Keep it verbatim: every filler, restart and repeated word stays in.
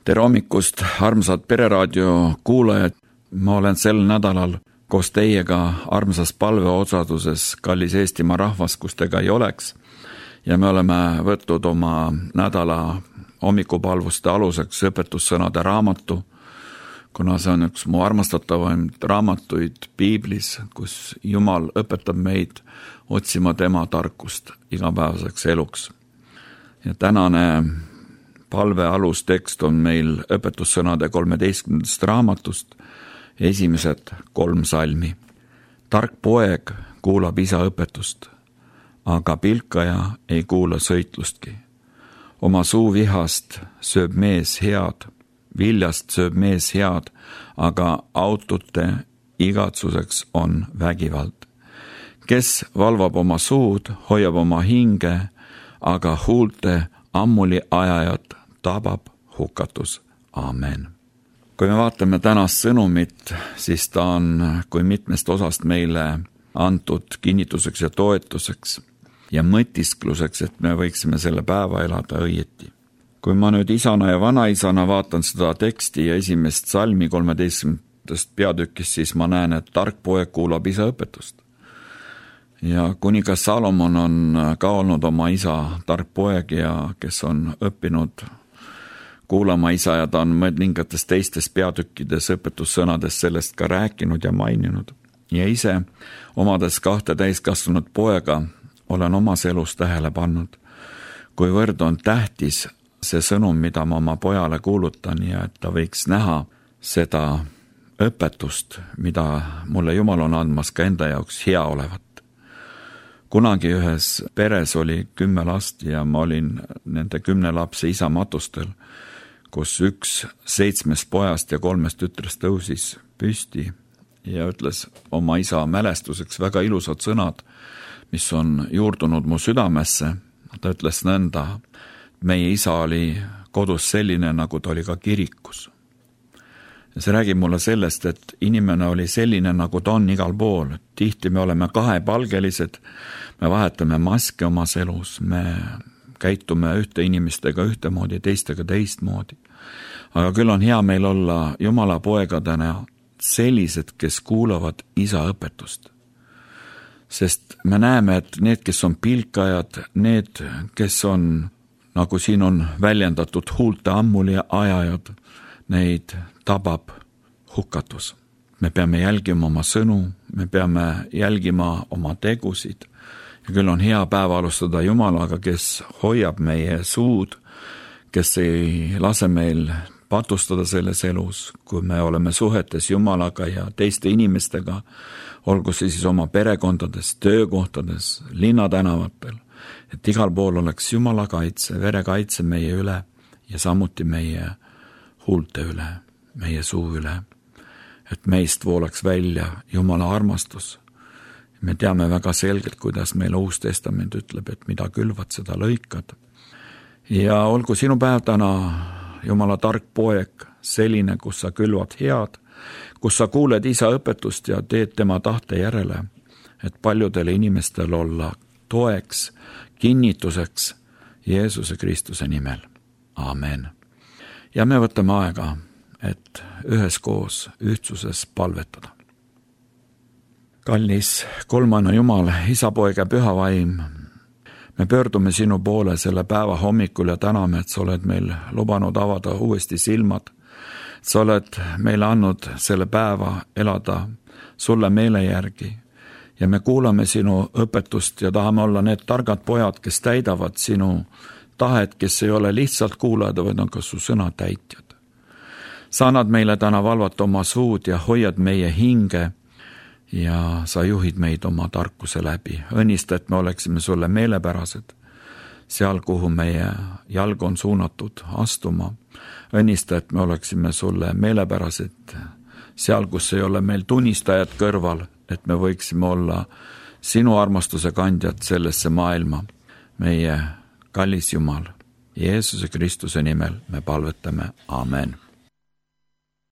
tere hommikust, armsad Pereraadio kuulajad. Ma olen sel nädalal koos teiega armsas palveosaduses Kallis Eestimaa rahvas, kus tega ei oleks. Ja me oleme võtnud oma nädala hommikupalvuste aluseks õpetussõnade raamatu, kuna see on üks mu armastatavaim raamatuid Piiblis, kus Jumal õpetab meid otsima tema tarkust igapäevaseks eluks. Ja tänane palve alustekst on meil õpetussõnade kolmeteistkümnendast raamatust, esimesed kolm salmi. Tark poeg kuulab isa õpetust, aga pilkaja ei kuula sõitlustki. Oma suu vihast sööb mees head, viljast sööb mees head, aga autote igatsuseks on vägivald. Kes valvab oma suud, hoiab oma hinge, aga huulte ammuli ajajat tabab hukatus. Amen. Kui me vaatame tänast sõnumit, siis ta on kui mitmest osast meile antud kinnituseks ja toetuseks ja mõtiskluseks, et me võiksime selle päeva elada õieti. Kui ma nüüd isana ja vanaisana vaatan seda teksti ja esimest salmi kolmeteistkümnendast peatükist, siis ma näen, et tark poeg kuulab isa õpetust. Ja kuningas Salomon on ka olnud oma isa tark poeg ja kes on õppinud kuulama isa ja ta on mõningates teistes peatükkides õpetussõnades sellest ka rääkinud ja maininud. Ja ise omades kahte täiskasvanud poega olen omas elus tähele pannud, kuivõrd on tähtis see sõnum, mida ma oma pojale kuulutan ja et ta võiks näha seda õpetust, mida mulle Jumal on andmas ka enda jaoks hea olevat. Kunagi ühes peres oli kümme last ja ma olin nende kümne lapse isa matustel, kus üks seitsmest pojast ja kolmest tütrest tõusis püsti ja ütles oma isa mälestuseks väga ilusad sõnad, mis on juurdunud mu südamesse. Ta ütles nõnda, meie isa oli kodus selline, nagu ta oli ka kirikus. Ja see räägib mulle sellest, et inimene oli selline, nagu ta on igal pool. Tihti me oleme kahepalgelised, me vahetame maske omas elus, me käitume ühte inimestega ühtemoodi, teistega teistmoodi. Aga küll on hea meil olla Jumala poegadena sellised, kes kuulavad isa õpetust. Sest me näeme, et need, kes on pilkajad, need, kes on, nagu siin on väljendatud, huulte ammuli ajajad, neid tabab hukatus. Me peame jälgima oma sõnu, me peame jälgima oma tegusid. Ja küll on hea päeva alustada Jumalaga, kes hoiab meie suud, kes ei lase meil patustada selles elus, kui me oleme suhetes Jumalaga ja teiste inimestega, olgu see siis oma perekondades, töökohtades, linnatänavatel, et igal pool oleks Jumala kaitse, verekaitse meie üle ja samuti meie huulte üle, meie suu üle, et meist voolaks välja Jumala armastus. Me teame väga selgelt, kuidas meil Uus Testament ütleb, et mida külvad, seda lõikad. Ja olgu sinu päev täna, Jumala tark poeg, selline, kus sa külvad head, kus sa kuuled isa õpetust ja teed tema tahte järele, et paljudele inimestel olla toeks, kinnituseks Jeesuse Kristuse nimel. Amen. Ja me võtame aega, et üheskoos ühtsuses palvetada. Kallis kolmana Jumal, isa, poeg ja püha vaim, me pöördume sinu poole selle päeva hommikul ja täname, et sa oled meil lubanud avada uuesti silmad. Sa oled meile andnud selle päeva elada sulle meele järgi ja me kuulame sinu õpetust ja tahame olla need targad pojad, kes täidavad sinu tahet, kes ei ole lihtsalt kuulajad, vaid on ka su sõna täitjad. Sa annad meile täna valvata oma suud ja hoiad meie hinge ja sa juhid meid oma tarkuse läbi. Õnnista, et me oleksime sulle meelepärased, seal, kuhu meie jalg on suunatud astuma. Õnnista, et me oleksime sulle meelepärased, seal, kus ei ole meil tunnistajad kõrval, et me võiksime olla sinu armastuse kandjad sellesse maailma. Meie kallis Jumal, Jeesuse Kristuse nimel me palvetame. Amen.